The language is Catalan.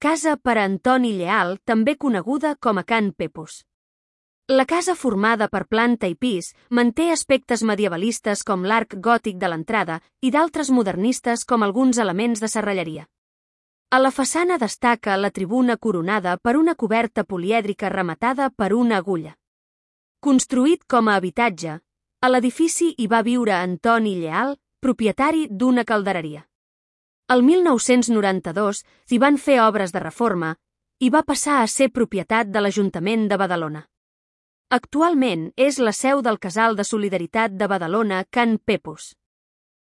casa per a Antoni Lleal, també coneguda com a Can Pepus. La casa, formada per planta i pis, manté aspectes medievalistes com l'arc gòtic de l'entrada i d'altres modernistes com alguns elements de serralleria. A la façana destaca la tribuna coronada per una coberta polièdrica rematada per una agulla. Construït com a habitatge, a l'edifici hi va viure Antoni Lleal, propietari d'una caldereria. El 1992 s'hi van fer obres de reforma i va passar a ser propietat de l'Ajuntament de Badalona. Actualment és la seu del Casal de Solidaritat de Badalona Can Pepus.